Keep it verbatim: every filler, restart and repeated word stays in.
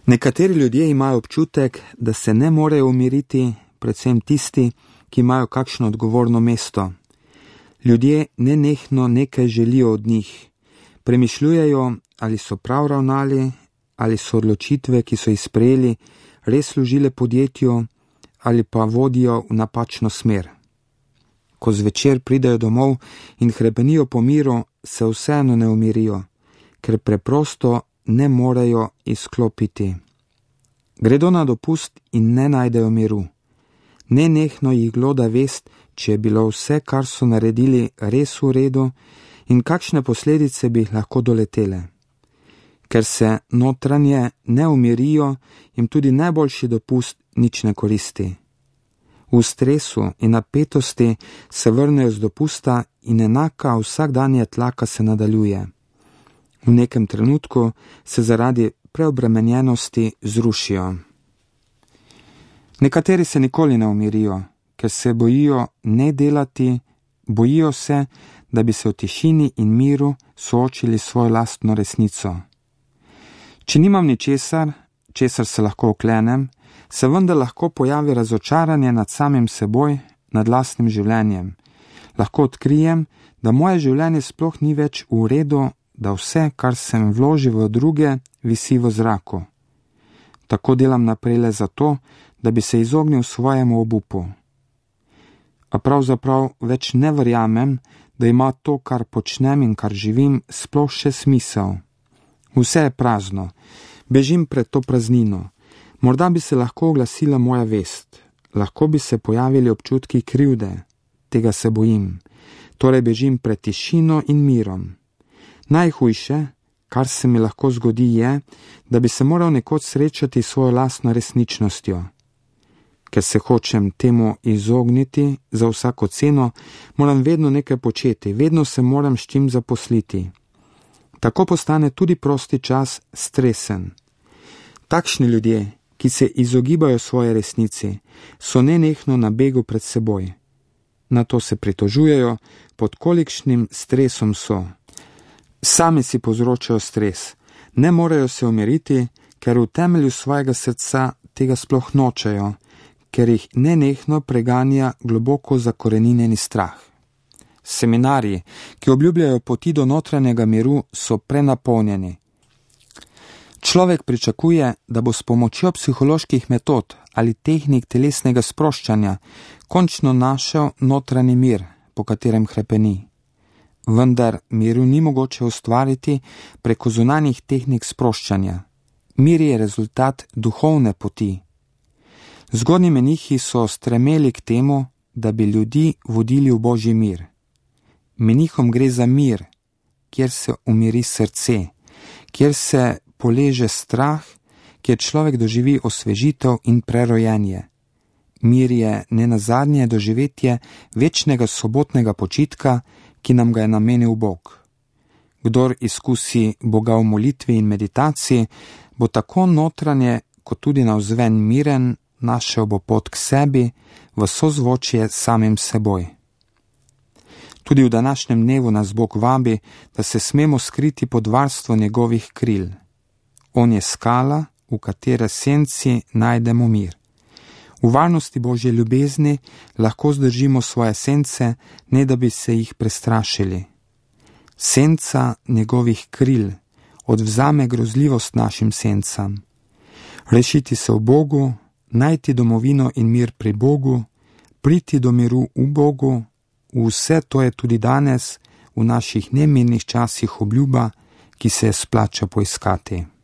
Nekateri ljudje imajo občutek, da se ne morejo umiriti, predvsem tisti, ki imajo kakšno odgovorno mesto. Ljudje nenehno nekaj želijo od njih. Premišljujejo, ali so prav ravnali, ali so odločitve, ki so jih sprejeli, res služile podjetju, ali pa vodijo v napačno smer. Ko zvečer pridejo domov in hrepenijo po miru, se vseeno ne umirijo, ker preprosto ne morejo izklopiti. Gredo na dopust in ne najdejo miru. Nenehno jih gloda vest, če je bilo vse, kar so naredili, res v redu in kakšne posledice bi jih lahko doletele. Ker se notranje ne umirijo, jim tudi najboljši dopust nič ne koristi. V stresu in napetosti se vrnejo z dopusta in enaka vsakdanja tlaka se nadaljuje. V nekem trenutku se zaradi preobremenjenosti zrušijo. Nekateri se nikoli ne umirijo, ker se bojijo ne delati, bojijo se, da bi se v tišini in miru soočili svojo lastno resnico. Če nimam ničesar, česar se lahko oklenem, se vendar lahko pojavi razočaranje nad samim seboj, nad lastnim življenjem. Lahko odkrijem, da moje življenje sploh ni več v redu, da vse, kar sem vložil v druge, visi v zraku. Tako delam naprej le zato, da bi se izognil svojemu obupu. A pravzaprav več ne verjamem, da ima to, kar počnem in kar živim, sploh še smisel. Vse je prazno, bežim pred to praznino. Morda bi se lahko oglasila moja vest, lahko bi se pojavili občutki krivde, tega se bojim, torej bežim pred tišino in mirom. Najhujše, kar se mi lahko zgodi, je, da bi se moral nekoč srečati s svojo lastno resničnostjo. Ker se hočem temu izogniti za vsako ceno, moram vedno nekaj početi, vedno se moram s čim zaposliti. Tako postane tudi prosti čas stresen. Takšni ljudje, ki se izogibajo svoje resnici, so nenehno na begu pred seboj. Na to se pritožujejo, pod kolikšnim stresom so. Sami si povzročajo stres, ne morejo se umiriti, ker v temelju svojega srca tega sploh nočejo, ker jih nenehno preganja globoko zakoreninjeni strah. Seminarji, ki obljubljajo poti do notranjega miru, so prenapolnjeni. Človek pričakuje, da bo s pomočjo psiholoških metod ali tehnik telesnega sproščanja končno našel notranji mir, po katerem hrepeni. Vendar miru ni mogoče ustvariti preko zunanjih tehnik sproščanja. Mir je rezultat duhovne poti. Zgodnji menihi so stremeli k temu, da bi ljudi vodili v Božji mir. Menihom gre za mir, kjer se umiri srce, kjer se poleže strah, kjer človek doživi osvežitev in prerojenje. Mir je nenazadnje doživetje večnega sobotnega počitka, ki nam ga je namenil Bog. Kdor izkusi Boga v molitvi in meditaciji, bo tako notranje kot tudi navzven miren, našel bo pot k sebi v sozvočje samim seboj. Tudi v današnjem dnevu nas Bog vabi, da se smemo skriti pod varstvo njegovih kril. On je skala, v katere senci najdemo mir. V varnosti Božje ljubezni lahko zdržimo svoje sence, ne da bi se jih prestrašili. Senca njegovih kril odvzame grozljivost našim sencam. Rešiti se v Bogu, najti domovino in mir pri Bogu, priti do miru v Bogu, vse to je tudi danes v naših nemirnih časih obljuba, ki se je splača poiskati.